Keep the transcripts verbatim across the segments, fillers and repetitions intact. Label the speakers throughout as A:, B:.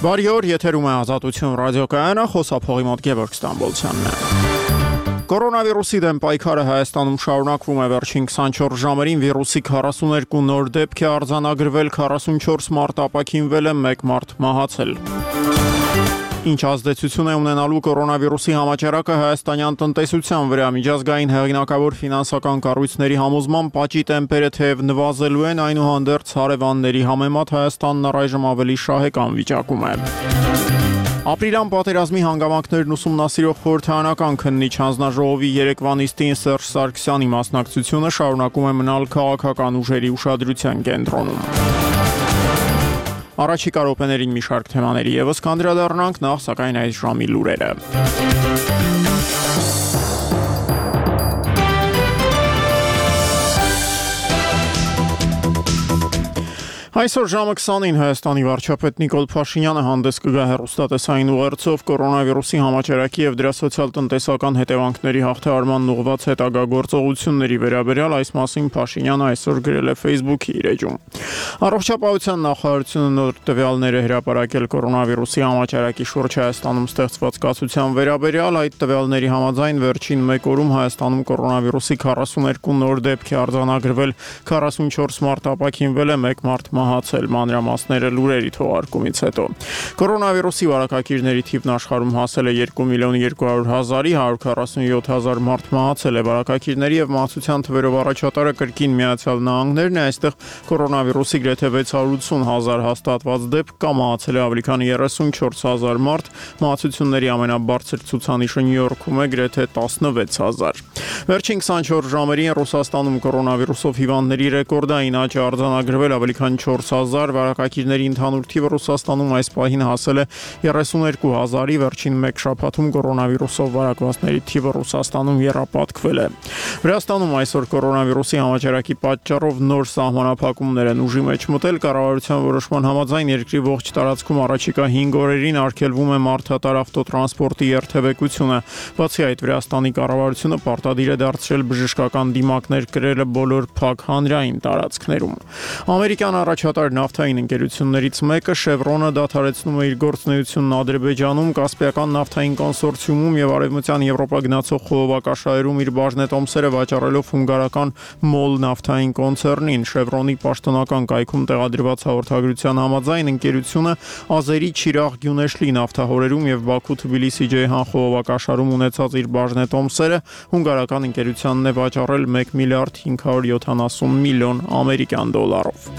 A: Բարի օր, եթերում է Ազատություն ռադիոկայանը, խոսափողի մոտ Գևորգ Ստամբոլցյանն է։ Կորոնավիրուսի դեմ պայքարը Հայաստանում շարունակվում է վերջին քսանչորս ժամերին վիրուսի քառասուներկու նոր դեպք է արձանագրվել, քառասունչորս մարդ ապաքինվել է, մեկ մարդ մահացել։ Ինչ ազդեցություն է ունենալու կորոնավիրուսի համաճարակը հայաստանյան տնտեսության վրա? Միջազգային հեղինակավոր ֆինանսական կառույցների համոզմամբ աճի տեմպերը թեև նվազելու են, այնուհանդերձ հարևանների համեմատ Հայաստանն առայժմ ավելի շահեկան վիճակում է։ Ապրիլյան պատերազմի հանգամանքներն ուսումնասիրող խորհրդարանական քննիչ հանձնաժողովի երեկվա նիստին Սերժ Սարգսյանի մասնակցությունը շարունակում է մնալ քաղաքական ուժերի ուշադրության կենտրոնում։ Առաջիկա րոպեներին մի շարք թեմաների ևս կանդրադառնանք, նախ սակայն այս ժամի լուրերը։ Այսօր ժամը քսանին Հայաստանի վարչապետ Նիկոլ Փաշինյանը հանդես կգա հեռուստատեսային ուղերձով կորոնավիրուսի համաճարակի եւ դրա սոցիալ-տնտեսական հետևանքների հաղթահարման ուղղված հետագա գործողությունների վերաբերյալ այս մասին Փաշինյանը այսօր գրել է Facebook-ի իր էջում։ Առողջապահության նախարարությունը նոր տվյալներ է հրապարակել կորոնավիրուսի համաճարակի շուրջ Հայաստանում ստեղծված կացության վերաբերյալ, այդ տվյալների համաձայն վերջին մեկ օրում Հայաստանում կորոնավիրուսի քառասուներկու նոր դեպք է արձանագրվել, քառասունչորս մարդ ապաքինվել է, մեկ մարդ մահացել, մանրամասները լուրերի թողարկումից հետո։ Կորոնավիրուսի վարակակիրների թիվն աշխարհում հասել է երկու միլիոն երկու հարյուր հազարի, հարյուր քառասունյոթ հազար մարդ մահացել է։ Վարակակիրների եւ մահացության թվերով առաջատարը կրկին Միացյալ Նահանգներն է, այստեղ կորոնավիրուսի գրեթե վեց հարյուր ութսուն հազար հաստատված դեպք կա, մահացել է ավելի քան երեսունչորս հազար մարդ, մահացությունների ամենաբարձր ցուցանիշը Նյու Յորքում է գրեթե տասնվեց հազար։ Վերջին քսանչորս ժամերին Ռուսաստանում կորոնավիրուսով հիվանդների ռեկորդային աճ է արձանագրվել, ավելի քան չորս հազար, վարակակիրների ընդհանուր թիվը Ռուսաստանում այս պահին հասել է երեսուներկու հազարի, վերջին մեկ շաբաթում կորոնավիրուսով վարակվածների թիվը Ռուսաստանում եռապատկվել է։ Վրաստանում այսօր կորոնավիրուսի համաճարակի պատճառով նոր սահմանափակումներ են ուժի մեջ մտել, կառավարության որոշման համաձայն երկրի ողջ տարածքում առաջիկա հինգ օրերին արգելվում է մարդատար ավտոտրանսպորտի երթևեկությունը։ Բացի այդ, Վրաստանի կառավարությունը պարտադիր է դարձրել բժշկական դիմակներ կրելը բոլոր փակ հանրային տարածքներում։ Ամերիկյան առաջատար նավթային ընկերություններից մեկը Շևրոնը դադարեցնում է իր գործունեությունն Ադրբեջանում, Կասպիական նավթային կոնսորցիումում եւ Արևմտյան Եվրոպա գնացող խողովակաշարերում իր բաժնետոմսերը վաճառելով հունգարական Մոլ նավթային կոնցեռնին։ Շևրոնի պաշտոնական կայքում տեղադրված հաղորդագրության համաձայն ընկերությունը Ազերի Չիրաղ Գյունեշլի նավթահորերում եւ Բաքու-Թբիլիսի Ջեյհան խողովակաշարում ունեցած իր բաժնետոմսերը հունգարական ընկերությանն է վաճառել մեկ միլիարդ հինգ հարյուր յոթանասուն միլիոն ամերիկյան դոլարով։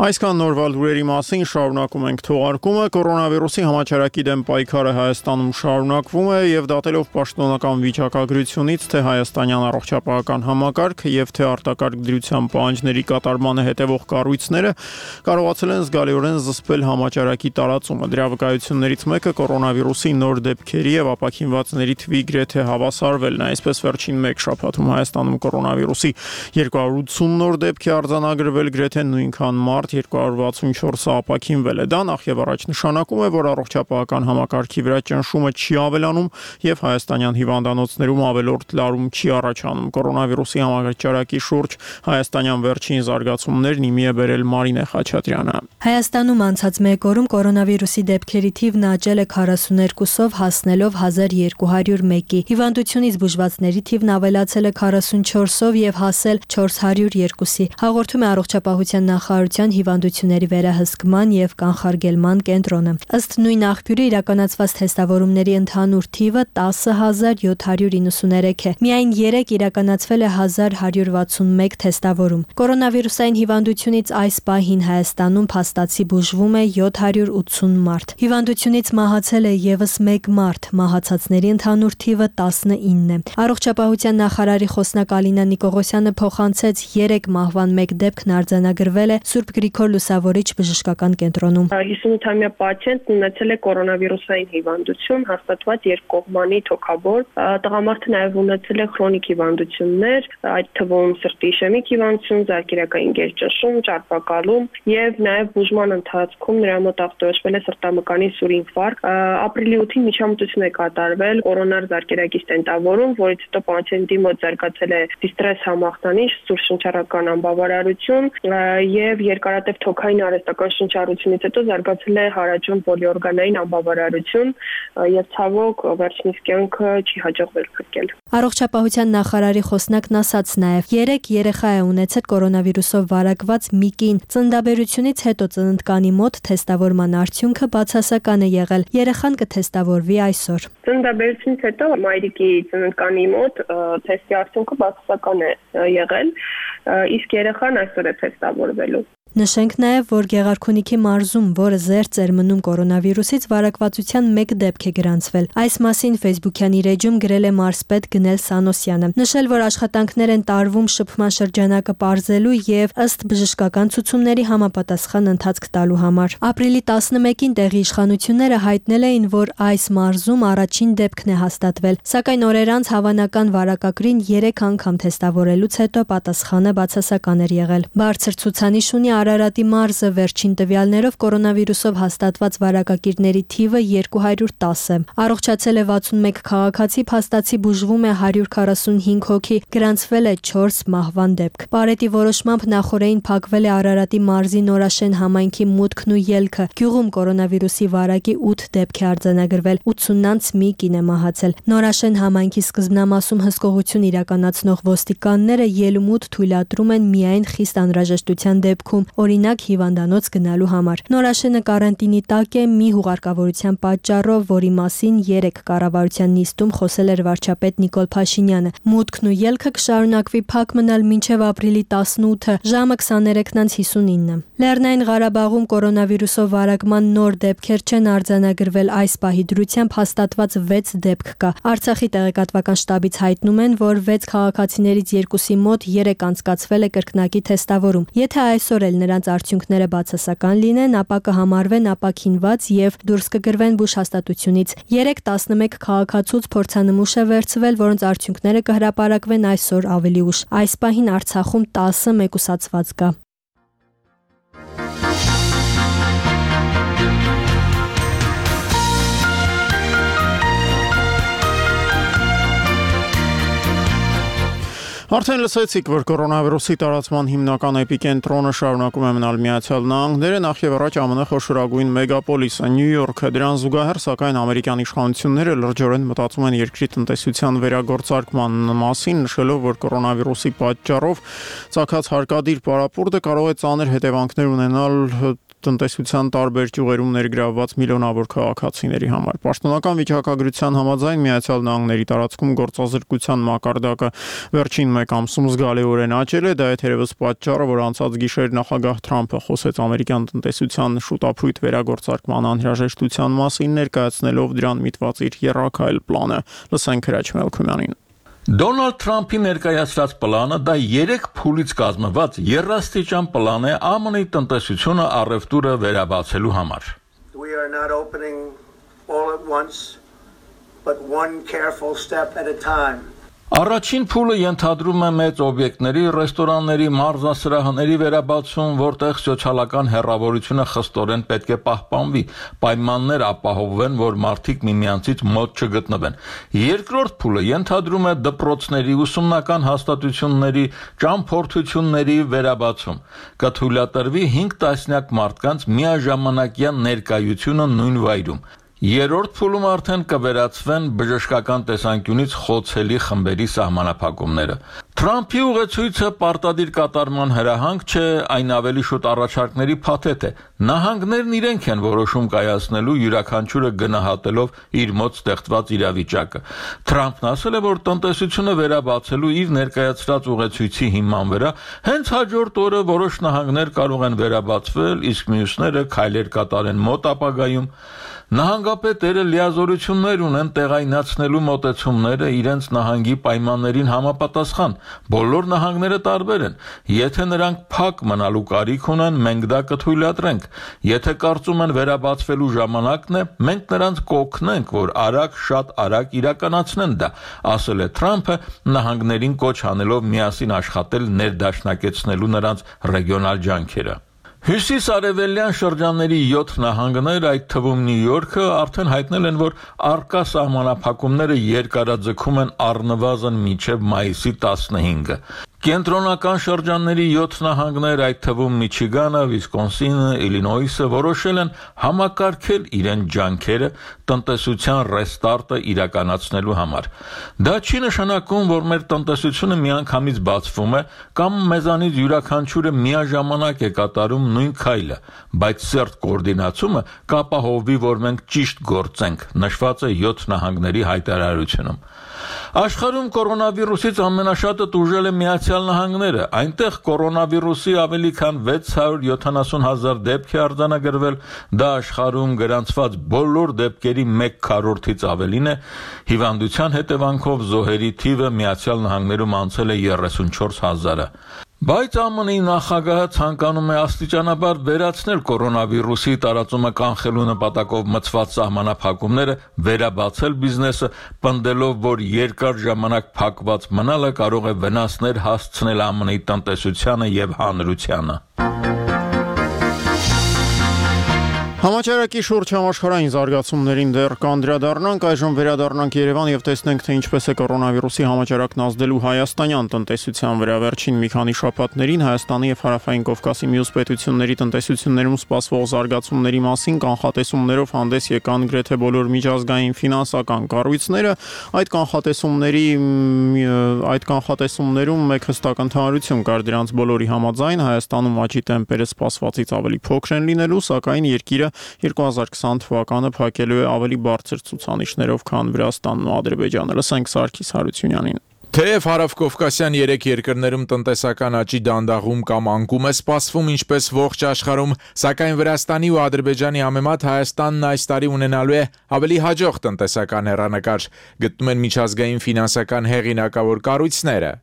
A: Այսքան նորվա լուրերի մասին շարունակում ենք թողարկումը։ Կորոնավիրուսի համաճարակի դեմ պայքարը Հայաստանում շարունակվում է եւ դատելով պաշտոնական վիճակագրությունից, թե հայաստանյան առողջապահական համակարգը եւ թե արտակարգ դրության պահանջների կատարմանը հետևող կառույցները կարողացել են զգալիորեն զսպել համաճարակի տարածումը։ Դրա վկայություններից մեկը կորոնավիրուսի նոր դեպքերի եւ ապաքինվածների թվի գրեթե հավասարվելն է։ Այսպես վերջին մեկ շաբաթում Հայաստանում կորոնավիրուսի երկու հարյուր ութսուն նոր դեպք է արձանագրվել, գրեթե նույնքան մարդ երկու հարյուր վաթսունչորսը ապաքինվել է։ Դա նախ եւ առաջ նշանակում է, որ առողջապահական համակարգի վրա ճնշումը չի ավելանում եւ հայաստանյան հիվանդանոցներում ավելորդ լարում չի առաջանում։ Կորոնավիրուսի համաճարակի շուրջ հայաստանյան վերջին զարգացումներն իմի է բերել Մարինե Խաչատրյանը։
B: Հայաստանում անցած մեկ օրում կորոնավիրուսի դեպքերի թիվն աճել է քառասուներկուսով, հասնելով հազար երկու հարյուր մեկի։ Հիվանդությունից բուժվածների թիվն ավելացել է քառասունչորսով եւ հասել չորս հարյուր երկուսի։ Հաղորդում է առողջապահության նախարարության հիվանդությունների վերահսկման եւ կանխարգելման կենտրոնը։ Ըստ նույն աղբյուրի իրականացված թեստավորումների ընդհանուր թիվը տասը հազար յոթ հարյուր իննսուներեք է։ Միայն երեք իրականացվել է հազար հարյուր վաթսունմեկ թեստավորում։ Կորոնավիրուսային հիվանդությունից այս պահին Հայաստանում փաստացի բուժվում է յոթ հարյուր ութսուն մարդ։ Հիվանդությունից մահացել է եւս մեկ մարդ, մահացածների ընդհանուր թիվը տասնինն է։ Առողջապահության նախարարի խոսնակ Ալինա Նիկողոսյանը փոխանցեց երեք մահվան մեկ դեպքն արձանագրվել է Սուրբ Գրիգոր Լուսավորիչ բժշկական կենտրոնում։
C: հիսունութամյա պացիենտն ունեցել է կորոնավիրուսային հիվանդություն, հաստատված երկկողմանի թոքաբոր։ Տղամարդը նաև ունեցել է քրոնիկ հիվանդություններ, այդ թվում սրտի իշեմիկ հիվանդություն, զարկերակային գերճնշում, ճարպակալում եւ նաև բուժման ընթացքում նրա մոտ ախտորոշվել է սրտամկանի սուր ինֆարկտ։ Ապրիլի ութին միջամտություն է կատարվել կորոնար զարկերակի ստենտավորում, որից հետո պացիենտի մոտ զարգացել է դիստրես համախտանիշ, սուր շնչառական անբավարարություն եւ երկարատև թոքային արհեստական շնչառությունից հետո զարգացել է հարաճուն պոլիօրգանային անբավարարություն եւ ցավոք վերջինիս կյանքը չի հաջողվել փրկել։
B: Առողջապահության նախարարի խոսնակն ասաց նաև երեք երեխա է ունեցել կորոնավիրուսով վարակված մի կին։ Ծննդաբերությունից հետո ծննդկանի մոտ թեստավորման արդյունքը բացասական է եղել։ Երեխան կթեստավորվի այսօր։
C: Ծննդաբերությունից հետո մայրիկի ծննդկանի մոտ թեստի արդյունքը բացասական է եղել, իսկ երեխան այսօր է թեստավորվելու։
B: Նշենք նաև, որ Գեղարքունիքի մարզում, որը զերծ էր մնում կորոնավիրուսից, վարակվածության մեկ դեպք է գրանցվել։ Այս մասին Facebook-յան իր էջում գրել է մարզպետ Գնել Սանոսյանը։ Նշել, որ աշխատանքներ են տարվում շփման շրջանակը պարզելու եւ ըստ բժշկական ցուցումների համապատասխան ընթացք տալու համար։ Ապրիլի տասնմեկին տեղի իշխանությունները հայտնել էին, որ այս մարզում առաջին դեպքն է հաստատվել, սակայն օրեր անց հավանական վարակագրին երեք անգամ թեստավորելուց հետո պատասխանը բացասական էր եղել։ Բարձր ցուցանիշ ունի Արարատի մարզը, վերջին տվյալներով կորոնավիրուսով հաստատված վարակակիրների թիվը երկու հարյուր տասը։ Առողջացել է վաթսունմեկ քաղաքացի, փաստացի բուժվում է հարյուր քառասունհինգ հոգի, գրանցվել է չորս մահվան դեպք։ Պարետի որոշմամբ նախորդին փակվել է Արարատի մարզի Նորաշեն համայնքի մուտքն ու ելքը։ Գյուղում կորոնավիրուսի վարակի ութ դեպք է արձանագրվել, ութսունից մի կին է մահացել։ Նորաշեն համայնքի սկզբնամասում հսկողություն իրականացնող ոստիկանները ելումուտ թույլատրում են միայն խիստ անհրաժեշտության դեպքում, օրինակ հիվանդանոց գնալու համար։ Նորաշենը կարանտինի տակ է մի հուղարկավորության պատճառով, որի մասին երեք կառավարության նիստում խոսել էր վարչապետ Նիկոլ Փաշինյանը։ Մուտքն ու ելքը կշարունակվի փակ մնալ մինչև ապրիլի տասնութը, ժամը քսաներեքից հիսունինը։ Լեռնային Ղարաբաղում կորոնավիրուսով վարակման նոր դեպքեր չեն արձանագրվել, այս պահի դրությամբ հաստատված վեց դեպք կա։ Արցախի տեղեկատվական շտաբից հայտնում են, որ վեց քաղաքացիներից երկուսի մոտ երեք անցկացվել է կրկնակի թեստավորում։ Եթե այսօր էլ նրանց արդյունքները բացասական լինեն, ապա կհամարվեն ապաքինված եւ դուրս կգրվեն բուժհաստատությունից։ երեք տասնմեկ քաղաքացուց փորձանմուշ է վերցվել, որոնց արդյունքները կհրապարակվեն այսօր ավելի ուշ։ Այս պահին Արցախում տասը մեկուսացված կա։
A: Արդեն լսեցիք, որ կորոնավիրուսի տարածման հիմնական էպիկենտրոնը շարունակում է մնալ Միացյալ Նահանգները, նախ եւ առաջ ԱՄՆ խոշորագույն մեգապոլիսը Նյու Յորքը։ Դրան զուգահեռ, սակայն ամերիկյան իշխանությունները լրջորեն մտածում են երկրի տնտեսության վերագործարկման մասին, նշելով, որ կորոնավիրուսի պատճառով ցակած հարկադիր պարապուրտը կարող է ծանր հետևանքներ ունենալ տնտեսության տարբեր ճյուղերում ներգրավված միլիոնավոր քաղաքացիների համար։ Պաշտոնական վիճակագրության համաձայն Միացյալ Նահանգների տարածքում գործազրկության մակարդակը վերջին մեկ ամսում զգալիորեն աճել է, դա է թերևս պատճառը, որ անցած գիշեր նախագահ Թրամփը խոսեց ամերիկյան տնտեսության շուտափույթ վերագործարկման անհրաժեշտության մասին, ներկայացնելով դրան միտված իր եռակայլ պլանը։ Լսենք Հրաչ Մելքումյանին։
D: Դոնալդ Թրամփի ներկայացրած պլանը դա երեք փուլից կազմված եռաստիճան պլան է ԱՄՆ-ի տնտեսությունը առևտուրը վերաբացելու համար։
E: We are not opening all at once, but one careful step at a time.
D: Առաջին փուլը ենթադրում է մեծ օբյեկտների, ռեստորանների, մարզասրահների վերաբացում, որտեղ սոցիալական հեռավորությունը խստորեն պետք է պահպանվի, պայմաններ ապահովվեն, որ մարդիկ միմյանցից մոտ չգտնվեն։ Երկրորդ փուլը ենթադրում է դպրոցների, ուսումնական հաստատությունների, ճամփորդությունների վերաբացում։ Կթույլատրվի հինգ տասնյակ մարդկանց միաժամանակյան ներկայությունը նույն վայրում։ Երրորդ փուլում արդեն կվերացվեն բժշկական տեսանկյունից խոցելի խմբերի սահմանափակումները։ Թրամփի ուղեցույցը պարտադիր կատարման հրահանգ չէ, այն ավելի շուտ առաջարկների փաթեթ է։ Նահանգներն իրենք են որոշում կայացնելու յուրաքանչյուրը գնահատելով իր մոտ ստեղծված իրավիճակը։ Թրամփն ասել է, որ տնտեսությունը վերաբացելու իր ներկայացրած ուղեցույցի հիման վրա հենց հաջորդ օրը որոշ նահանգներ կարող են վերաբացվել, իսկ մյուսները քայլեր կատարեն մոտ ապագայում։ Նահանգապետերը լիազորություններ ունեն տեղայնացնելու մոտեցումները իրենց նահանգի պայմաններին համապատասխան։ Բոլոր նահանգները տարբեր են։ Եթե նրանք փակ մնալու կարիք ունեն, մենք դա կթույլատրենք։ Եթե կարծում են վերաբացվելու ժամանակն է, մենք նրանց կօգնենք, որ արագ, շատ արագ իրականացնեն դա, ասել է Թրամփը, նահանգներին կոչ անելով միասին աշխատել ներդաշնակեցնելու նրանց ռեգիոնալ ջանքերը։ Հյուսիս-արևելյան շրջանների յոթ նահանգներ, այդ թվում Նյու Յորքը, արդեն հայտնել են, որ առկա սահմանափակումները երկարաձգում են առնվազն մինչև մայիսի տասնհինգը։ Կենտրոնական շրջանների յոթ նահանգներ, այդ թվում Միչիգանը, Վիսկոնսինը, Իլինոյսը, որոշել են համակարգել իրենց ջանքերը տնտեսության ռեստարտը իրականացնելու համար։ Դա չի նշանակում, որ մեր տնտեսությունը միանգամից բացվում է կամ մեզանից յուրաքանչյուրը միաժամանակ է կատարում նույն քայլը, բայց սերտ կոորդինացումը կապահովի, որ մենք ճիշտ գործենք, նշված է յոթ նահանգների հայտարարությունում։ Աշխարհում կորոնավիրուսից ամենաշատը տուժել է Միացյալ Նահանգները։ Այնտեղ կորոնավիրուսի ավելի քան վեց հարյուր յոթանասուն հազար դեպք է արձանագրվել, դա աշխարհում գրանցված բոլոր դեպքերի մեկ քառորդից ավելին է։ Հիվանդության հետևանքով զոհերի թիվը Միացյալ Նահանգներում անցել է երեսունչորս հազարը։ Բայց ԱՄՆ-ի նախագահը ցանկանում է աստիճանաբար վերացնել կորոնավիրուսի տարածումը կանխելու նպատակով մտցված սահմանափակումները, վերաբացել բիզնեսը, պնդելով, որ երկար ժամանակ փակված մնալը կարող է վնասներ հասցնել ԱՄՆ-ի տնտեսությանը եւ հանրությանը։
A: Համաճարակի շուրջ համաշխարհային զարգացումներին դեռ կանդրադառնանք, այժմ վերադառնանք Երևան եւ տեսնենք, թե ինչպես է կորոնավիրուսի համաճարակն ազդելու հայաստանյան տնտեսության վրա։ Վերջին մի քանի շաբաթներին Հայաստանի եւ Հարավային Կովկասի մյուս պետությունների տնտեսություններում սպասվող զարգացումների մասին կանխատեսումներով հանդես եկան գրեթե բոլոր միջազգային ֆինանսական կառույցները։ Այդ կանխատեսումների այդ կանխատեսումներում մեկ հստակ ընդհանրություն կար, դրանց բոլորի համաձայն Հայաստանում աճի տեմպերը սպասվածից ավելի փոքր են լինելու, սակայն երկիրը երկու հազար քսան թվականը փակելու է ավելի բարձր ցուցանիշներով, քան Վրաստանն ու Ադրբեջանը։ Լսենք Սարգիս Հարությունյանին։
F: Թեև հարավկովկասյան երեք երկրներում տնտեսական աճի դանդաղում կամ անկում է սպասվում ինչպես ողջ աշխարհում, սակայն Վրաստանի ու Ադրբեջանի համեմատ Հայաստանն այս տարի ունենալու է ավելի հաջող տնտեսական հեռանկար, գտնում են միջազգային ֆինանսական հեղինակավոր կառույցները։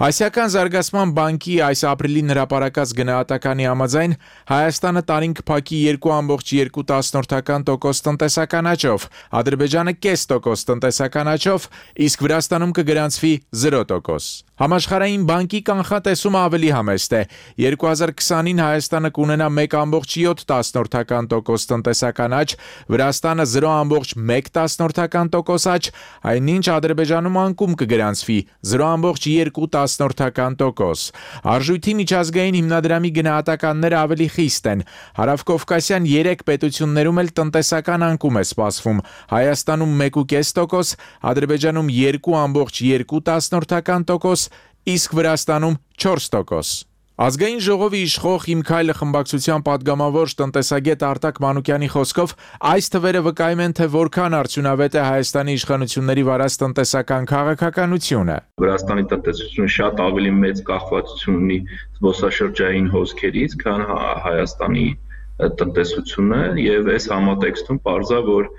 F: Ասիական զարգացման բանկի այս ապրիլին հրապարակած գնահատականի համաձայն Հայաստանը տարին կփակի երկու կόμμα երկու տոկոս տնտեսական աճով, Ադրբեջանը կես տոկոս տնտեսական աճով, իսկ Վրաստանում կգրանցվի զիրո տոկոս։ Համաշխարհային բանկի կանխատեսումը ավելի համեստ է։ երկու հազար քսանին Հայաստանը կունենա մեկ կόμμα յոթ տոկոս տնտեսական աճ, Վրաստանը զիրո կόμma մեկ տոկոս աճ, այնինչ Ադրբեջանում անկում կգրանցվի զիրո կόμma երկու տոկոս։ Արժույթի միջազգային հիմնադրամի գնահատականները ավելի խիստ են։ Հարավկովկասյան երեք պետություններում էլ տնտեսական անկում է սպասվում։ Հայաստանում մեկ կόμма պենս տոկոս, Ադրբեջանում երկու կόμma երկու տոկոս, իսկ Վրաստանում չորս տոկոս։ Ազգային ժողովի իշխող Իմ քայլը խմբակցության պատգամավոր տնտեսագետ Արտակ Մանուկյանի խոսքով այս թվերը վկայում են, թե որքան արդյունավետ է Հայաստանի իշխանությունների վարած տնտեսական քաղաքականությունը։
G: Վրաստանի տնտեսությունը շատ ավելի մեծ կախվածություն ունի զբոսաշրջային հոսքերից, քան Հայաստանի տնտեսությունը, եւ այս համատեքստում պարզա, որ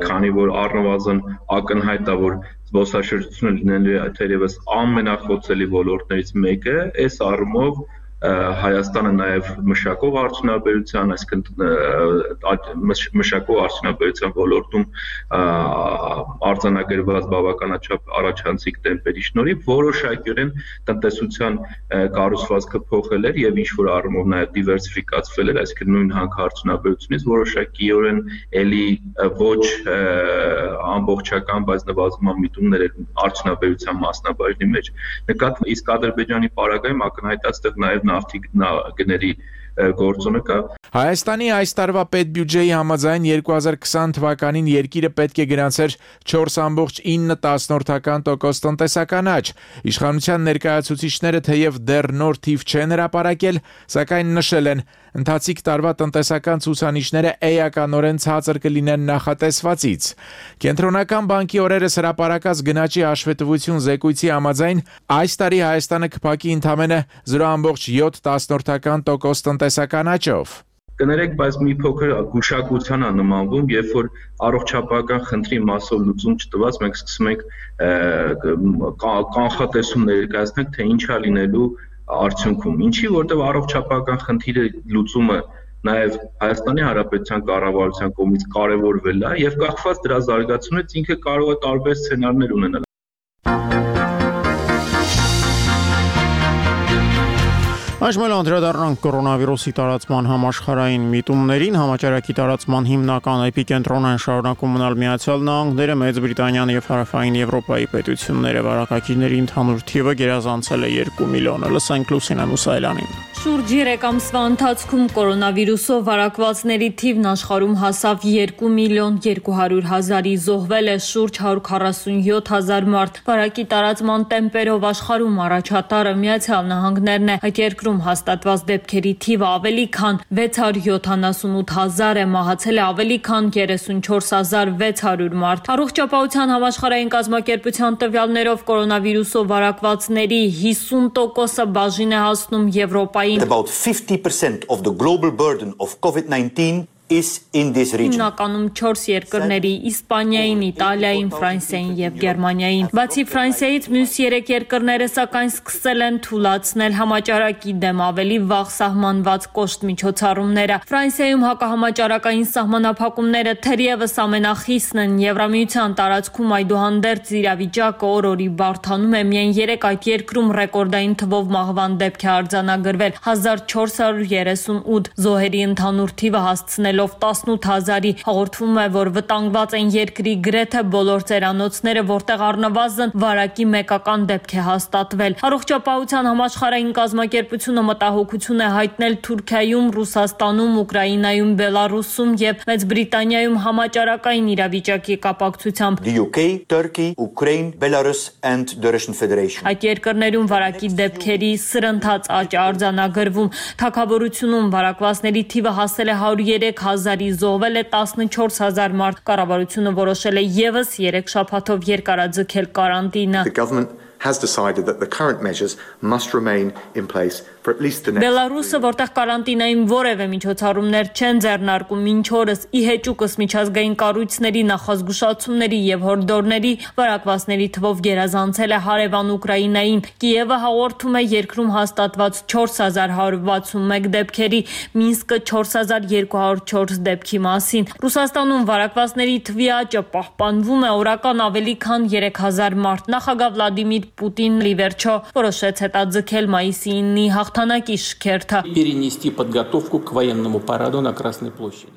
G: քանի որ առնվազն ակնհայտ է, որ զբոսաշրջությունը լինելու է թերևս ամենախոցելի ոլորտներից մեկը, այս առումով Հայաստանը նաև մշակող արդյունաբերության, այսինքն մշակող արդյունաբերության ոլորտում արձանագրված բավականաչափ առաջանցիկ տեմպերի շնորհիվ որոշակիորեն տնտեսության կառուցվածքը փոխել էր եւ ինչ որ առումով նաև դիվերսիֆիկացվել էր, այսինքն նույն հանքարդյունաբերությունից որոշակիորեն էլի ոչ ամբողջական, բայց նվազման միտումներ արդյունաբերության մասնաբաժնի մեջ նկատվում, իսկ Ադրբեջանի պարագայում ակնհայտ է այստեղ նաև նավթի գների գործոնը կա։
F: Հայաստանի այս տարվա պետբյուջեի համաձայն երկու հազար քսան թվականին երկիրը պետք է գրանցեր չորս կόμμα ինը տոկոս տնտեսական աճ։ Իշխանության ներկայացուցիչները թեև դեռ նոր թիվ չեն հրապարակել, սակայն նշել են ընթացիկ տարվա տնտեսական ցուցանիշները էականորեն ցածր կլինեն նախատեսվածից։ Կենտրոնական բանկի օրերս հրապարակած գնաճի հաշվետվություն զեկույցի համաձայն այս տարի Հայաստանը կփակի ընդամենը զրո կόμma յոթ տոկոս տնտեսական աճով։
G: Կներեք, բայց մի փոքր գուշակության է նմանվում, երբ որ առողջապահական խնդրի մասով լուծում չտված, մենք սկսում ենք կանխատեսում ներկայացնել, թե ինչ է լինելու արդյունքում։ Ինչի, որտեղ առողջապահական խնդիրը լուծումը նաև Հայաստանի Հանրապետության կառավարության կողմից կարևորվել է եւ կախված դրա զարգացումից ինքը կարող է տարբեր սցենարներ ունենալ։
A: Այժմ անդրադառնանք կորոնավիրուսի տարածման համաշխարհային միտումներին, համաճարակի տարածման հիմնական էպիկենտրոնն են շարունակում մնալ Միացյալ Նահանգները, Մեծ Բրիտանիան եւ Հարավային Եվրոպայի պետությունները, վարակակիրների ընդհանուր թիվը գերազանցել է երկու միլիոն։ Լսենք Լուսինե Մուսայելյանին։
H: Շուրջ երեք ամսվա ընթացքում կորոնավիրուսով վարակվածների թիվն աշխարհում հասավ երկու միլիոն երկու հարյուր հազարի, զոհվել է շուրջ հարյուր քառասունյոթ հազար մարդ։ Վարակի տարածման տեմպերով աշխարհում առաջատարը Միացյալ Նահանգներն է։ Այդ երկրում հաստատված դեպքերի թիվը ավելի քան վեց հարյուր յոթանասունութ հազար է, մահացել է ավելի քան երեսունչորս հազար վեց հարյուր մարդ։ Առողջապահության համաշխարհային կազմակերպության տվյալներով կորոնավիրուսով վարակվածների հիսուն տոկոսը բաժին է հասնում Եվրոպայի
I: About fifty percent of the global burden of COVID nineteen is in this region.
H: Հիմնականում չորս երկրների՝ Իսպանիային, Իտալիային, Ֆրանսիային եւ Գերմանիային։ Բացի Ֆրանսիայից, մյուս երեք երկրները սակայն սկսել են թույլատրել համաճարակի դեմ ավելի վաղ սահմանված կոշտ միջոցառումները։ Ֆրանսիայում հակահամաճարակային սահմանափակումները թերևս ամենախիսնն են Եվրամիության տարածքում, այդուհանդերձ իրավիճակը օր-օրի բարդանում է։ Միայն երեք այդ երկրում ռեկորդային թվով մահվան դեպք է արձանագրվել՝ հազար չորս հարյուր երեսունութ, զոհերի ընդհանուր թիվը հասցնել տասնութ հազարի։ Հաղորդվում է, որ վտանգված են երկրի գրեթե բոլոր ծերանոցները, որտեղ առնվազն վարակի մեկական դեպք է հաստատվել։ Առողջապահության համաշխարհային կազմակերպությունը մտահոգություն է հայտնել Թուրքիայում, Ռուսաստանում, Ուկրաինայում, Բելարուսում եւ Մեծ Բրիտանիայում համաճարակային իրավիճակի կապակցությամբ։
I: The U K, Turkey, Ukraine, Belarus and the Russian Federation.
H: Այդ երկրներում վարակի դեպքերի սրընթաց աճ արձանագրվում։ Թագավորությունում վարակվածների թիվը հասել է հարյուր երեք հազարի, զոհվել է տասնչորս հազար մարդ։ Կառավարությունը որոշել է եւս երեք շաբաթով երկարաձգել կարանտինը։
J: The government has decided that the current measures must remain in place for at least the next
H: Բելարուսը, որտեղ կարանտինային որևէ միջոցառումներ չեն ձեռնարկում մինչ օրս, ի հեճուկս միջազգային կառույցների նախազգուշացումների եւ հորդորների, վարակվածների թվով գերազանցել է հարևան Ուկրաինային։ Կիևը հաղորդում է երկրում հաստատված չորս հազար հարյուր վաթսունմեկ դեպքերի, Մինսկը չորս հազար երկու հարյուր չորս դեպքի մասին։ Ռուսաստանում վարակվածների թվի աճը պահպանվում է, օրական ավելի քան երեք հազար մարդ։ Նախագահ Վլադիմիր Պուտինն ի վերջո որոշեց հետաձգել մայիսի իննի հաղթանակի շքերթը։
K: Перенести подготовку к военному параду на Красной площади.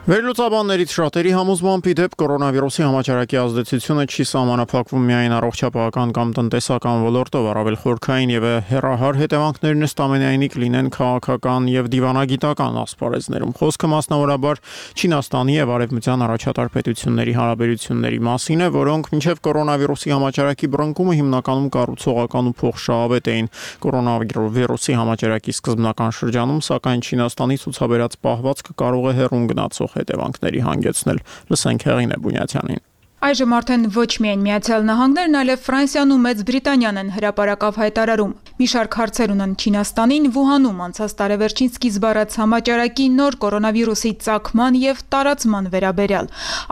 A: Վերլուծաբաններից շատերի համոզմամբ իդեպ կորոնավիրուսի համաճարակի ազդեցությունը չի սահմանափակվում միայն առողջապահական կամ տնտեսական ոլորտով, առավել խորքային եւ հեռահար հետևանքներն ըստ ամենայնի կլինեն քաղաքական եւ դիվանագիտական ասպարեզներում։ Խոսքը մասնավորաբար Չինաստանի եւ Արևմտյան առաջատար պետությունների հարաբերությունների մասին է, որոնք մինչեւ կորոնավիրուսի համաճարակի բռնկումը հիմնականում կառուցողական ու փոխշահավետ էին։ Կորոնավիրուսի համաճարակի սկզբնական շրջանում, սակայն Չինաստանի ցուցաբերած պահվածքը կարող է հեռուն գնացող հետևանքների հանգեցնել։ Լսենք Հեղինե Բունյաթյանին։
L: Այժմ արդեն ոչ միայն Միացյալ Նահանգներն, այլև Ֆրանսիան ու Մեծ Բրիտանիան են հրապարակավ հայտարարում։ Մի շարք հարցեր ունեն Չինաստանին, Վուհանում անցած տարեվերջին սկիզբ առած համաճարակի նոր կորոնավիրուսի ծագման եւ տարածման վերաբերյալ։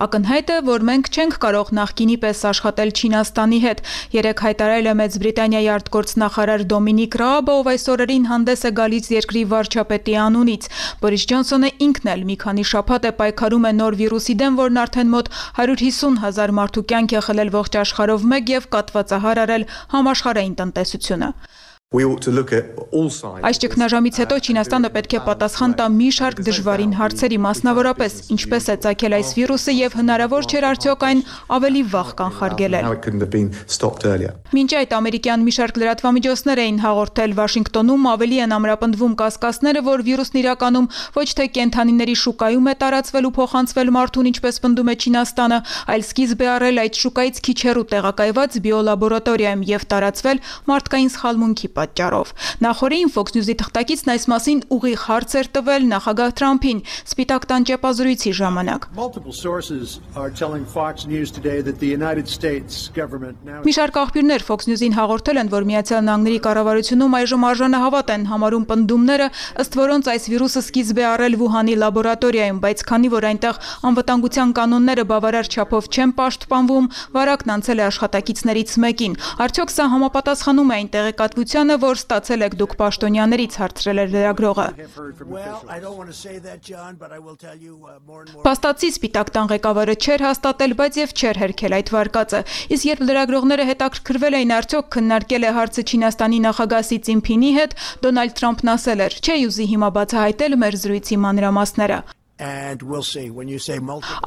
L: Ակնհայտ է, որ մենք չենք կարող նախկինի պես աշխատել Չինաստանի հետ։ Երեք հայտարարել է Մեծ Բրիտանիայի արտգործնախարար Դոմինիկ Ռաաբը, ով այս օրերին հանդես է գալիս երկրի վարչապետի անունից։ Բորիս Ջոնսոնը ինքն էլ մի քանի շաբաթ է պայքարում է նոր վիրուսի դեմ, որն արդեն մոտ հարյուր հիսուն հազար մարդու կյանք է խլել ողջ աշխարհով մեկ եւ կաթվածահար արել համաշխարհային տնտեսությունը։ Այս ճգնաժամից հետո Չինաստանը պետք է պատասխան տա մի շարք դժվարին հարցերի, մասնավորապես ինչպես է ծագել այս վիրուսը եւ հնարավոր չէր արդյոք այն ավելի վաղ կանխարգելել։ Մինչ այդ ամերիկյան մի շարք լրատվամիջոցներ էին հաղորդել Վաշինգտոնում, ավելի են ամրապնդվում կասկածները, որ վիրուսն իրականում ոչ թե կենդանիների շուկայում է տարածվել ու փոխանցվել մարդուն, ինչպես պնդում է Չինաստանը, այլ սկիզբ է առել այդ շուկայից քիչ հեռու տեղակայված բիոլաբորատորիայում եւ տարածվել մարդկային սխալմունքի պատճառով։ Նախորդին Fox News-ի թղթակիցն այս մասին ուղիղ հարց էր տվել նախագահ Թրամփին Սպիտակ տան ճեպազրույցի ժամանակ։ Մի շարք աղբյուրներ Fox News-ին հաղորդել են, որ Միացյալ Նահանգների կառավարությունում այժմ արժանահավատ են համարում պնդումները, ըստ որոնց այս վիրուսը սկիզբ է առել Վուհանի լաբորատորիայում, բայց քանի որ այնտեղ անվտանգության կանոնները բավարար չափով չեն պաշտպանվում, վարակն անցել է աշխատակիցներից մեկին։ Արդյոք սա համապատասխանում է այն տեղեկատվությանը, որ ստացել եք դուք պաշտոնյաներից, հարցրել էր լրագրողը։ Փաստացի Սպիտակ տան ղեկավարը չէր հաստատել, բայց եւ չէր հերքել այդ վարկածը։ Իսկ երբ լրագրողները հետաքրքրվել էին արդյոք քննարկել է հարցը Չինաստանի նախագահ Սի Ցզինփինի հետ, Դոնալդ Թրամփն ասել էր. «Չէ ուզի հիմա բացահայտել մեր զրույցի մանրամասները»։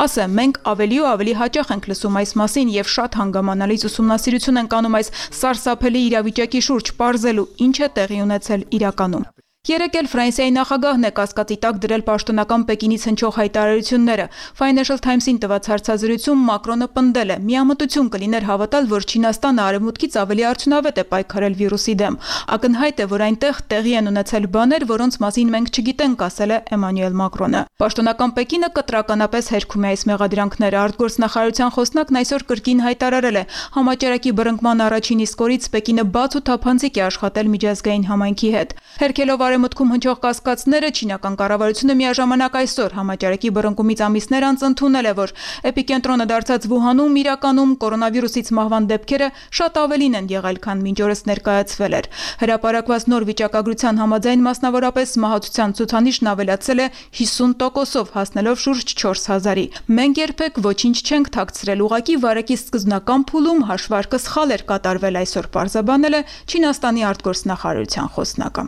L: Ասեմ, մենք ավելի ու ավելի հաճախ ենք լսում այս մասին եւ շատ հանգամանալից ուսումնասիրություն ենք անում այս սարսափելի իրավիճակի շուրջ, պարզելու ինչ է տեղի ունեցել իրականում։ Երեկ էլ Ֆրանսիայի նախագահն է կասկածի տակ դրել պաշտոնական Պեկինից հնչող հայտարարությունները։ Financial Times-ին տված հարցազրույցում Մակրոնը պնդել է. «Միամտություն կլիներ հավատալ, որ Չինաստանը արևմուտքից ավելի արդյունավետ է պայքարել վիրուսի դեմ։ Ակնհայտ է, որ այնտեղ տեղի են ունեցել բաներ, որոնց մասին մենք չգիտենք», ասել է Էմանուել Մակրոնը։ Պաշտոնական Պեկինը կտրականապես հերքում է այս մեղադրանքները։ Արտգործնախարարության խոսնակն այսօր կրկին հայտարարել է. «Համաճարակի բռնկման առաջին իսկ օրից Պեկինը բաց ու թափանցիկ է աշխատել միջազգային համայնքի հետ»։ Հերքելով Արևմուտքում հնչող կասկածները, չինական կառավարությունը միաժամանակ այսօր համաճարակի բռնկումից ամիսներ անց ընդունել է, որ էպիկենտրոնը դարձած Վուհանում իրականում կորոնավիրուսից մահվան դեպքերը շատ ավելին են եղել, քան մինչ օրս ներկայացվել էր։ Հրապարակված նոր վիճակագրության համաձայն մասնավորապես մահացության ցուցանիշն ավելացել է հիսուն տոկոսով, հասնելով շուրջ չորս հազարի։ Մենք երբեք ոչինչ չենք թաքցրել, ուղղակի վարակի սկզբնական փուլում հաշվարկը սխալ էր կատարվել, այսօր պարզաբանել է Չինաստանի արտգործնախարարության խոսնակը։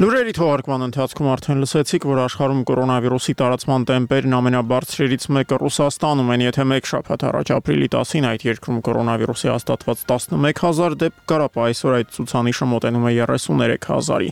A: Լուրերի թողարկման ընթացքում արդեն լսեցիք, որ աշխարհում կորոնավիրուսի տարածման տեմպերն ամենաբարձրերից մեկը Ռուսաստանում են, եթե մեկ շաբաթ առաջ ապրիլի տասին այդ երկրում կորոնավիրուսի հաստատված տասնմեկ հազար դեպք կար, ապա այսօր այդ ցուցանիշը մոտենում է երեսուներեք հազարի։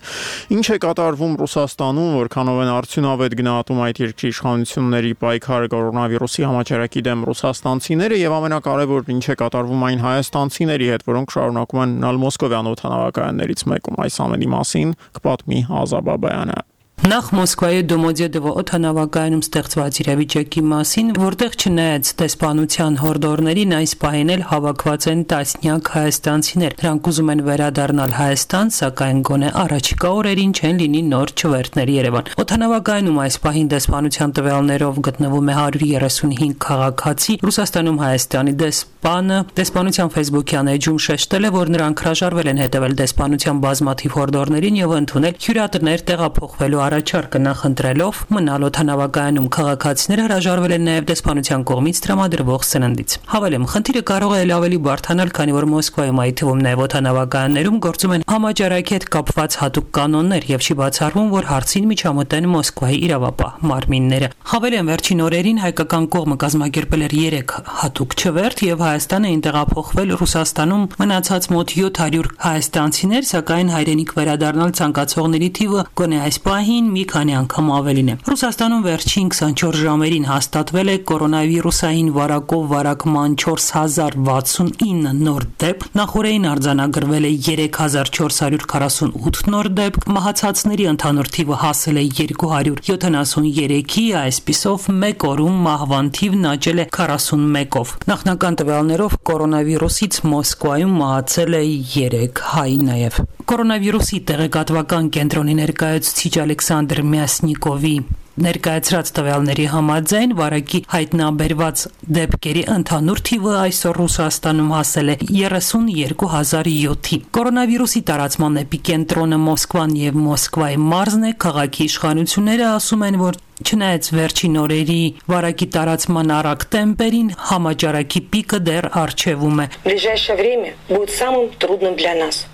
A: Ինչ է կատարվում Ռուսաստանում, որքանով են արդյունավետ գնահատում այդ երկրի իշխանությունների պայքարը կորոնավիրուսի համաճարակի դեմ ռուսաստանցիները եւ ամենակարևորն ինչ է կատարվում այն հայաստանցիների հետ, որոնք շարունակում են մնալ Մոսկովյան օդանավակայաններից մեկում, այս ամենի մասին կպատմի Ազաբաբայանը։
M: Նախ Մոսկվայի Դոմոդեդովո օդանավակայանում ստեղծված իրավիճակի մասին, որտեղ չնայած դեսպանության հորդորներին այս պահին էլ հավաքված են տասնյակ հայաստանցիներ։ Նրանք ուզում են վերադառնալ Հայաստան, սակայն գոնե առաջիկա օրերին չեն լինի նոր չվերթներ Երևան։ Օդանավակայանում այս պահին դեսպանության տվյալներով գտնվում է հարյուր երեսունհինգ քաղաքացի։ Ռուսաստանում Հայաստանի դեսպանը դեսպանության Facebook-յան էջում շեշտել է, որ նրանք հրաժարվել են հետևել դեսպանության բազմաթիվ հորդորներին եւ ընդունել հյուրատներ տեղափոխվելու առաջարկը նախընտրելով մնալ օդանավակայանում քաղաքացիները հրաժարվել են նաև դեսպանության կողմից տրամադրվող սննդից։ Հավելեմ, խնդիրը կարող է ավելի բարդանալ, քանի որ Մոսկվայում այդ թվում նաև օդանավակայաններում գործում են համաճարակի հետ կապված հատուկ կանոններ եւ չի բացառվում, որ հարցին միջամտեն Մոսկվայի իրավապահ մարմինները։ Հավելեմ, վերջին օրերին հայկական կողմը կազմակերպել էր երեք հատուկ չվերթ եւ Հայաստանը ինտեղափոխվել Ռուսաստանում մնացած մոտ յոթ հարյուր հայաստանցիներ, սակայն հայրենիք վերադառնալ ցանկացողների թիվը գոնե այս պահին մի քանի անգամ ավելին է։ Ռուսաստանում վերջին քսանչորս ժամերին հաստատվել է կորոնավիրուսային վարակով վարակման չորս հազար վաթսունինը նոր դեպք, նախորդին արձանագրվել է երեք հազար չորս հարյուր քառասունութ նոր դեպք, մահացածների ընդհանուր թիվը հասել է երկու հարյուր յոթանասուներեքի, այսպիսով մեկ օրում մահվան թիվն աճել է քառասունմեկով։ Նախնական տվյալներով կորոնավիրուսից Մոսկվայում մահացել է երեք հայ նաև։ Կորոնավիրուսի տեղեկատվական կենտրոնի ներկայացուցիչ Ալեքսանդր Մյասնիկովի ներկայացրած տվյալների համաձայն վարակի հայտնաբերված դեպքերի ընդհանուր թիվը այսօր Ռուսաստանում հասել է երեսունյոթ հազար յոթի։ Կորոնավիրուսի տարածման էպիկենտրոնը Մոսկվան եւ Մոսկվայի մարզն է, քաղաքի իշխանությունները ասում են, որ չնայած վերջին օրերի վարակի տարածման արագ տեմպերին, համաճարակի պիկը դեռ առջևում է։
N: Ближайшее время будет самым трудным для нас.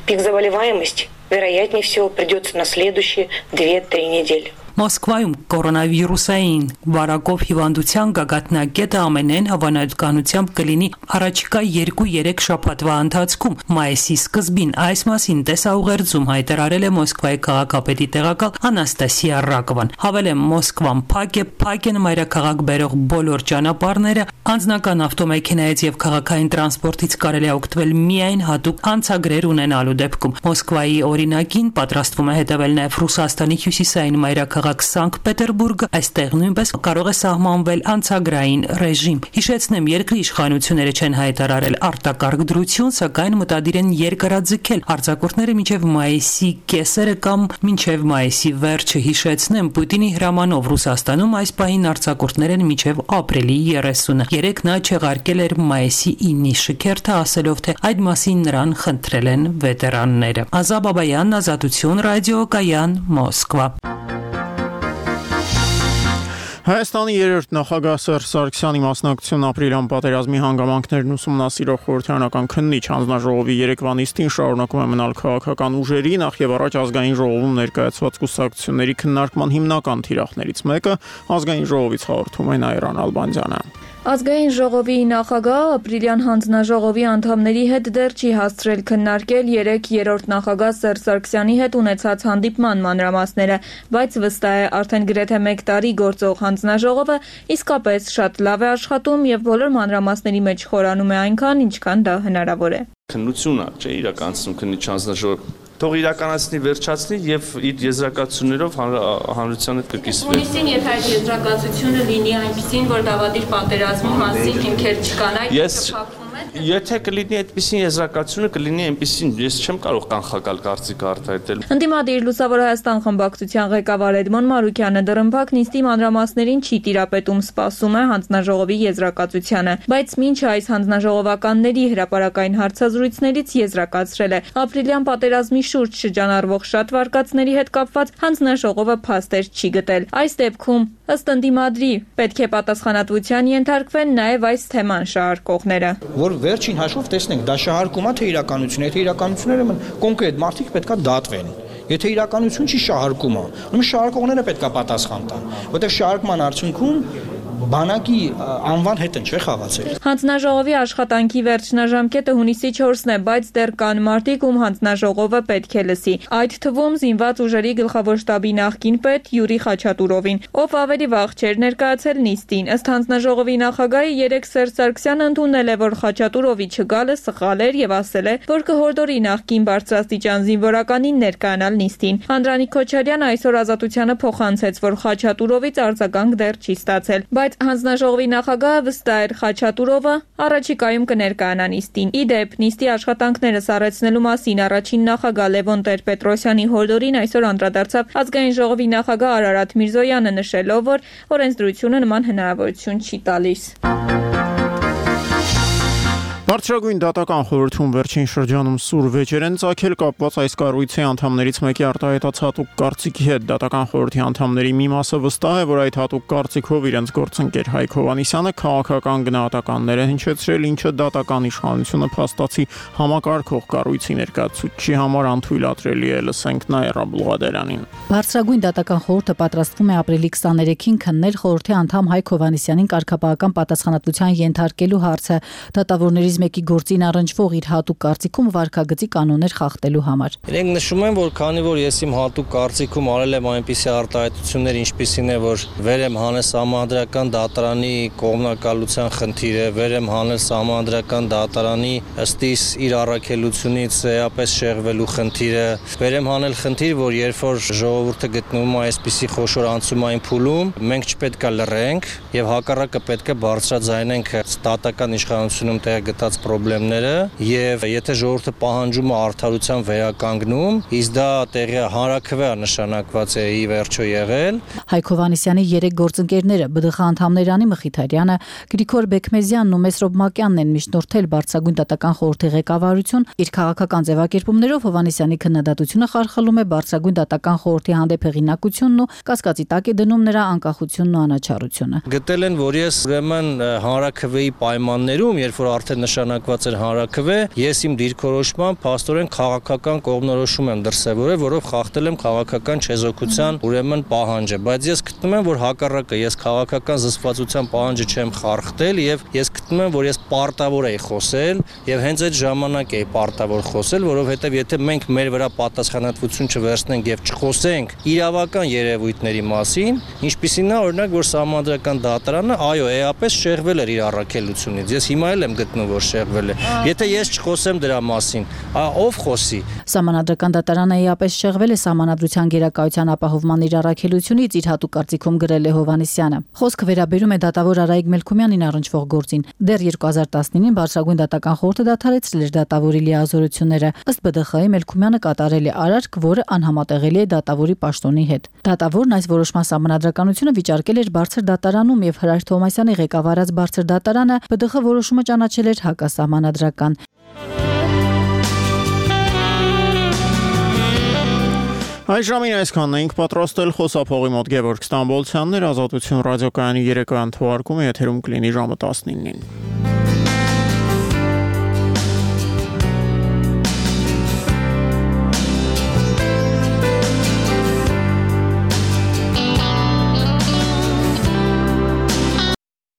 N: Пик заболеваемости, вероятнее всего, придется на следующие две-три недели.
M: Մոսկվայում կորոնավիրուսային վարակով հիվանդության գագաթնակետը ամենայն հավանականությամբ կլինի առաջիկա երկու-երեք շաբաթվա ընթացքում մայիսի սկզբին։ Այս մասին տեսաուղերձում հայտարարել է Մոսկվայի քաղաքապետի տեղակալ Անաստասիա Ռակովան։ Հավելեմ, Մոսկվան փակ է, փակ են մայրաքաղաք բերող բոլոր ճանապարհները, անձնական ավտոմեքենայից եւ քաղաքային տրանսպորտից կարելի է օգտվել միայն հատուկ անցագրեր ունենալու դեպքում։ Մոսկվայի օրինակին պատրաստվում է հետևել նաեւ Ռուսաստանի հյուսիսային մայրաքաղաք Սանկտ Պետերբուրգը, այստեղ նույնպես կարող է սահմանվել անցագրային ռեժիմ։ Հիշեցնեմ, երկրի իշխանությունները չեն հայտարարել արտակարգ դրություն, սակայն մտադիր են երկարաձգել արձակուրդները մինչև մայիսի կեսերը կամ մինչև մայիսի վերջը։ Հիշեցնեմ, Պուտինի հրամանով Ռուսաստանում այս պահին արձակուրդներ են մինչև ապրիլի երեսունը։ Երեք նա չեղարկել էր մայիսի ինի շքերթը, ասելով, թե այդ մասին նրան խնդրել են վետերանները։ Ազա Բաբայան, Ազատություն ռադիոկայան, Մոսկվա։
A: Հայաստանի երրորդ նախագահ Սերժ Սարգսյանի մասնակցությունն ապրիլյան պատերազմի հանգամանքներն ուսումնասիրող խորհրդարանական քննիչ հանձնաժողովի երեկվա նիստին շարունակում է մնալ քաղաքական ուժերի, նախ եւ առաջ ազգային ժողովում ներկայացված կուսակցությունների քննարկման հիմնական թիրախներից մեկը ազգային ժողովից հաղորդում է Նաիրան Ալբանդյանը։
O: Ազգային ժողովի նախագահ ապրիլյան հանձնաժողովի անդամների հետ դեռ չի հասցրել քննարկել երեք երրորդ նախագահ Սերժ Սարգսյանի հետ ունեցած հանդիպման մանրամասները, բայց վստահ է, արդեն գրեթե մեկ տարի գործող հանձնաժողովը իսկապես շատ լավ է աշխատում եւ բոլոր մանրամասների մեջ խորանում է այնքան, ինչքան դա հնարավոր է։
P: Քննությունը չէ իրականացնում քննիչ հանձնաժողովը, թող իրականացնի, վերջացնի եւ իր եզրակացություններով հանրության հետ կկիսվի։
O: Հունիսին եթե այդ եզրակացությունը լինի այնպեսին, որ դավադիր պատերազմի մասին հիմքեր չկան, այդ
P: Ես Եթե կլինի այդպիսին եզրակացությունը, կլինի այնպիսին, ես չեմ կարող կանխակալ կարծիք արտահայտել։
O: Ընդդիմադիր Լուսավոր Հայաստան խմբակցության ղեկավար Էդմոն Մարուկյանը դռնփակ նիստի մանրամասներին չի տիրապետում, սպասում է հանձնաժողովի եզրակացությանը, բայց մինչ այս հանձնաժողովականների հրապարակային հարցազրույցներից եզրակացրել է ապրիլյան պատերազմի շուրջ շրջանառվող շատ վարկածների հետ կապված հանձնաժողովը փաստեր չի գտել։ Այս դեպքում ըստ ընդդիմադրի պետք է պատասխանատվության ենթարկվեն նաև այս թեման շահարկողները։
Q: Որ վերջին հաշվով տեսնենք, դա շահարկում է թե իրականություն, եթե իրականությունները կոնկրետ մարդիկ պետքա դատվեն։ Եթե իրականություն չի շահարկում, ուրեմն շահարկողները պետքա պատասխան տան, որտեղ շահարկման արդյունքում բանակի անվան հետ են չէ խաղացել։
O: Հանձնաժողովի աշխատանքի վերջնաժամկետը հունիսի չորսն է, բայց դեռ կան մարդիկ, ում հանձնաժողովը պետք է լսի։ Այդ թվում զինված ուժերի գլխավոր շտաբի նախկին պետ Յուրի Խաչատուրովին, ով ավելի վաղ չէր ներկայացել նիստին։ Ըստ հանձնաժողովի նախագահի երեք Սերժ Սարգսյանը ընդունել է, որ Խաչատուրովի չգալը սխալ էր եւ ասել է, որ կհորդորի նախկին բարձրաստիճան զինվորականին ներկայանալ նիստին։ Անդրանիկ Քոչարյանը այսօր Ազատությանը փոխանցեց, որ Խաչատուրովից արձագանք դեռ չի ստացել, բայց հանձնաժողովի նախագահը վստահ էր Խաչատուրովը առաջիկայում կներկայանա նիստին։ Ի դեպ, նիստի աշխատանքները սառեցնելու մասին առաջին նախագահ Լևոն Տեր-Պետրոսյանի հորդորին այսօր անդրադարձավ ազգային ժողովի նախագահ Արարատ Միրզոյանը, նշելով, որ օրենսդրությունը նման հնարավորություն չի տալիս։
A: Բարձրագույն դատական խորհրդում վերջին շրջանում սուր վեճեր են ծագել կապված այս կառույցի անդամներից մեկի արտահայտած հատուկ կարծիքի հետ։ Դատական խորհրդի անդամների մի մասը վստահ է, որ այդ հատուկ կարծիքով իրենց գործընկեր Հայկ Հովհաննիսյանը քաղաքական գնահատականներ է հնչեցրել, ինչը դատական իշխանությունը փաստացի համակարգող կառույցի ներկայացուցչի համար անթույլատրելի է, լսենք Նաիրա Բլուղադելյանին։
R: Բարձրագույն դատական խորհուրդը պատրաստվում է ապրիլի քսաներեքին քննել խորհրդի անդամ Հայկ Հովհաննիսյանին կարգապահական պատասխանատվության ենթարկելու հարցը դատավորներից մեկի գործին առնչվող իր հատուկ կարծիքում վարքագծի կանոններ խախտելու համար։
S: Իրենք նշում են, որ քանի որ ես իմ հատուկ կարծիքում արել եմ այնպիսի արտահայտություններ, ինչպիսին է, որ վեր եմ հանել սահմանադրական դատարանի կողմնակալության խնդիրը, վեր եմ հանել սահմանադրական դատարանի ըստ իս իր առաքելությունից էապես շեղվելու խնդիրը, վեր եմ հանել խնդիր, որ երբ որ ժողովուրդը գտնվում է այսպիսի խոշոր անցումային փուլում, մենք չպետք է լռենք եւ հակառակը պետք է բարձրաձայնենք ստատական իշխանությունում տեղ գտած խնդիրները եւ եթե ժողովուրդը պահանջում է արդարության վերականգնում, իսկ դա տեղի հանրաքվե նշանակված է ի վերջո եղել։
R: Հայկ Հովհաննիսյանի երեք գործընկերները ԲԴԽ անդամներ Անի Մխիթարյանը, Գրիգոր Բեկմեզյանն ու Մեսրոբ Մակյանն են միշտորթել Բարձրագույն դատական խորհրդի ղեկավարություն։ Իր քաղաքական ձևակերպումներով Հովհաննիսյանի քննադատությունը խարխլում է Բարձրագույն դատական խորհրդի հանդեպ հեղինակությունն ու կասկածի տակ է դնում նրա անկախությունն ու անաչառությունը։
S: Գտել են, որ ես ուրեմն հանրաքվեի պայմաններում, երբ որ արդեն նշանակված էր հանրաքվե, ես իմ դիրքորոշմամբ փաստորեն քաղաքական կողմնորոշում եմ դրսևորել, որով խախտել եմ քաղաքական չեզոքության ուրեմն պահանջը, բայց ես գտնում եմ, որ հակառակը ես քաղաքական զսպվածության պահանջը չեմ խախտել եւ ես գտնում եմ, որ ես պարտավոր եի խոսել եւ հենց այդ ժամանակ էի պարտավոր խոսել, որովհետեւ եթե մենք մեր վրա պատասխանատվություն չվերցնենք եւ չխոսենք իրավական երևույթների մասին, ինչպիսին է օրինակ, որ Սահմանադրական դատարանը այո, էապես շեղվել էր իր առաքելությունից։ Ես հիմա էլ եմ գտնում, որ շեղվել է։ Եթե ես չխոսեմ դրա մասին, ով խոսի։
R: Սահմանադրական դատարանը էապես շեղվել է Սահմանադրության գերակայության ապահովման իր առաքելությունից, իր հատուկ կարծիքում գրել է Հովհաննիսյանը։ Խոսքը վերաբերում է դատավոր Արայիկ Մելքումյանին առնչվող գործին։ Դեռ երկու հազար տասնինին Բարձրագույն դատական խորհուրդը դադարեցրել էր դատավորի լիազորությունները։ Ըստ Բ ԴԽ Խ-ի Մելքումյանը կատարել է արարք, որը անհամատեղելի է դատավորի պաշտոնի հետ։ Դատավորն այս որոշման սահմանադրականությունը վիճարկել էր Բարձր դատարանում եւ Հրայր Թովմասյանի ղեկավարած Բարձր դատարանը Բ ԴԽ Խ որոշումը ճանաչել էր հակասահմանադրական։
A: Այս ժամին այսքանն էինք պատրաստել, խոսափողի մոտ Գևորգ Ստամբոլցյանն էր, Ազատություն ռադիոկայանի երեկոյան թողարկումը եթերում կլինի ժամը տասնինին։